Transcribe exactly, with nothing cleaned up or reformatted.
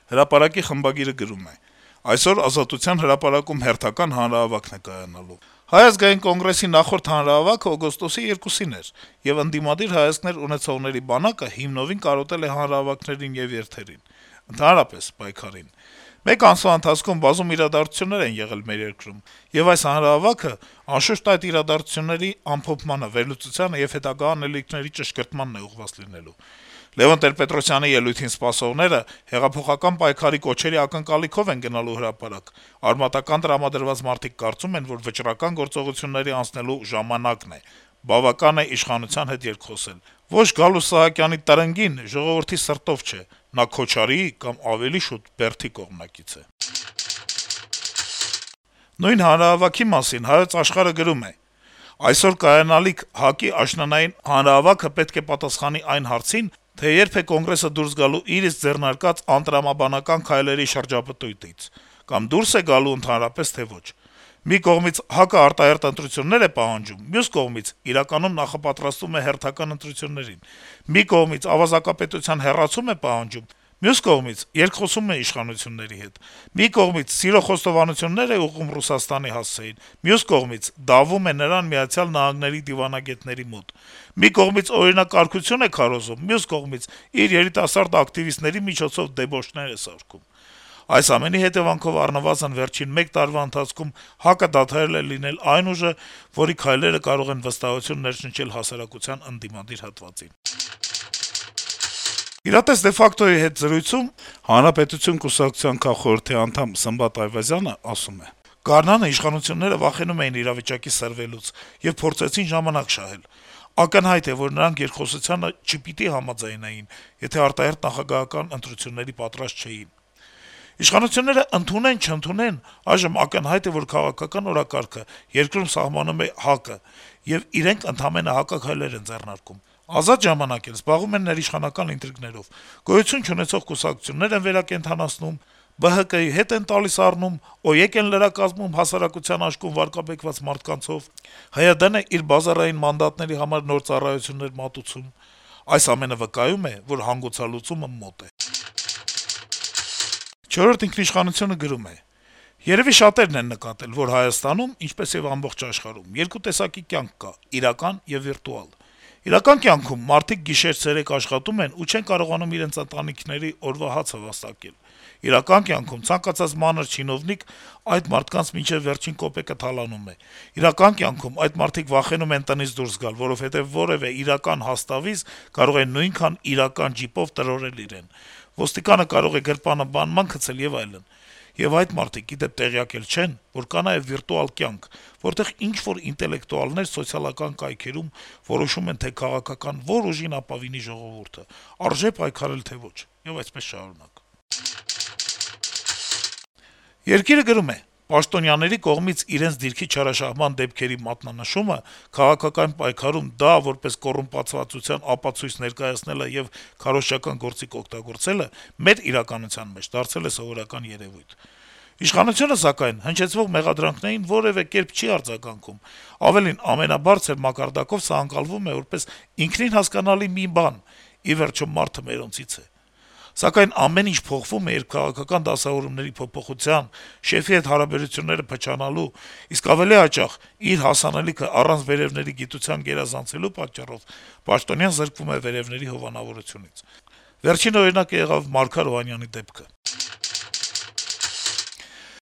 Հրապարակի խմբագիրը գրում է. - «Այսօր Ազատության հրապարակում հերթական հանրահավաքն է կայանալու: Հայ ազգային կոնգրեսի նախորդ հանրահավաքը օգոստոսի երկուսին էր, եւ ընդդիմադիր հայացքներ ունեցողների բանակը հիմնովին կարոտել է հանրահավաքներին եւ երթերին, ընդհանրապես պայքարին: Մեկ ամսվա ընթացքում բազում իրադարձություններ են եղել մեր երկրում, եւ այս հանրահավաքը, անշուշտ, այդ իրադարձությունների ամփոփմանը, վերլուծությանը եւ հետագա անելիքների ճշգրտմանն է ուղղված լինելու: Լեւոն Տեր-Պետրոսյանի ելույթին սպասողները հեղափոխական պայքարի կոչերի ակնկալիքով են գնալու հրապարակ: Արմատական տրամադրված մարդիկ կարծում են, որ վճռական գործողությունների անցնելու ժամանակն է: Բավական է իշխանության հետ երկխոսել: Ոչ Գալուստ Սահակյանի «տրնգին» ժողովրդի սրտով չէ: Նա Քոչարիի կամ ավելի շուտ Բերդի կողմնակից է»: Նույն հանրահավաքի մասին «Հայոց Աշխարհ»-ը գրում է. - «Այսօր կայանալիք ՀԱԿ-ի աշնանային հանրահավաքը պետք է պատասխանի այն հարցին, թե երբ է Կոնգրեսը դուրս գալու իր իսկ ձեռնարկած անտրամաբանական քայլերի շրջապտույտից: Կամ դուրս է գալու ընդհանրապես, թե ոչ: Մի կողմից ՀԱԿ-ը արտահերթ ընտրություններ է պահանջում, մյուս կողմից իրականում նախապատրաստվում է հերթական ընտրություններին: Մի կողմից ավազակապետության հեռացում է պահանջում, մյուս կողմից երկխոսում է իշխանությունների հետ: Մի կողմից սիրո խոստովանություններ է ուղղում Ռուսաստանի հասցեին, մյուս կողմից դավում է նրան ԱՄՆ դիվանագետների մոտ: Մի կողմից օրինակարգություն է քարոզում, մյուս կողմից իր երիտասարդ ակտիվիստների միջոցով դեբոշներ է սարքում: Այս ամենի հետեւանքով առնվազն վերջին մեկ տարվա ընթացքում ՀԱԿ-ը դադարել է լինել այն ուժը, որի քայլերը կարող են վստահություն ներշնչել հասարակության ընդդիմադիր հատվածին»: «Իրատես de facto-ի հետ զրույցում Հանրապետություն կուսակցության քաղխորհրդի անդամ Սմբատ Այվազյանը ասում է. - «Գարնանը իշխանությունները վախենում էին իրավիճակի սրվելուց եւ փորձեցին ժամանակ շահել: Ակնհայտ է, որ նրանք երկխոսությանը չպիտի համաձայնեին, եթե արտահերթ նախագահական ընտրությունների պատրաստ չէին: Իշխանությունները ընդունեն-չընդունեն, այժմ ակնհայտ է, որ քաղաքական օրակարգը երկրում սահմանում է ՀԱԿ-ը, եւ իրենք ընդամենը հակաքայլեր են ձեռնարկում: Ազատ ժամանակ էլ զբաղվում են ներիշխանական ինտրիգներով, գոյություն չունեցող կուսակցություններ են վերակենդանացնում, Բ Հ Կ-ի հետ են տալիս առնում, ՕԵԿ են լրակազմում հասարակության աշկում վարկաբեկված մարդկանցով, Հ Y D N-ը իր բազարային մանդատների համար նոր ծառայություններ մատուցում: Այս ամենը վկայում է, որ հանգուցալուծումը մոտ է»: «Չորրորդ ինքնիշխանություն»-ը գրում է. - «Երեւի շատերն են նկատել, որ Հայաստանում, ինչպես եւ ամբողջ աշխարհում, երկու տեսակի կյանք կա՝ իրական եւ վիրտուալ: Իրական կյանքում մարդիկ գիշեր-ցերեկ աշխատում են ու չեն կարողանում իրենց ընտանիքների օրվա հացը վաստակել: Իրական կյանքում ցանկացած մանր չինովնիկ այդ մարդկանց մինչեւ վերջին կոպեկը թալանում է: Իրական կյանքում այդ մարդիկ վախենում են տնից դուրս գալ, որովհետեւ որեւէ իրական հաստավիզ կարող է նույնքան իրական ջիպով տրորել իրեն: Ոստիկանը կարող է գրպանը բանման գցել եւ այլն: Եվ այդ մարդիկ, ի դեպ, տեղյակ էլ չեն, որ կա նաեւ վիրտուալ կյանք, որտեղ ինչ-որ ինտելեկտուալներ սոցիալական կայքերում որոշում են, թե քաղաքական որ ուժին ապավինի ժողովուրդը, արժե պայքարել, թե ոչ: Եվ այդպես շարունակ»: «Երկիր»-ը գրում է. - «Պաշտոնյաների կողմից իրենց դիրքի չարաշահման դեպքերի մատնանշումը, քաղաքական պայքարում դա որպես կոռումպացվածության ապացույց ներկայացնելը եւ քարոզչական գործիք օգտագործելը մեր իրականության մեջ դարձել է սովորական երեւույթ: Իշխանությունը, սակայն, հնչեցվող մեղադրանքներին որեւէ կերպ չի արձագանքում: Ավելին, ամենաբարձր մակարդակով սա ընկալվում է որպես ինքնին հասկանալի մի բան` ի վերջո մարդը մերոնցից է: Սակայն ամեն ինչ փոխվում է, երբ քաղաքական դասավորումների փոփոխության, շեֆի հետ հարաբերությունները փչանալու, իսկ ավելի հաճախ` իր հասանելիքը առանց վերեւների գիտության գերազանցելու պատճառով պաշտոնյան զրկվում է վերեւների հովանավորությունից: Վերջին օրինակը եղավ Մարգար Օհանյանի դեպքը»: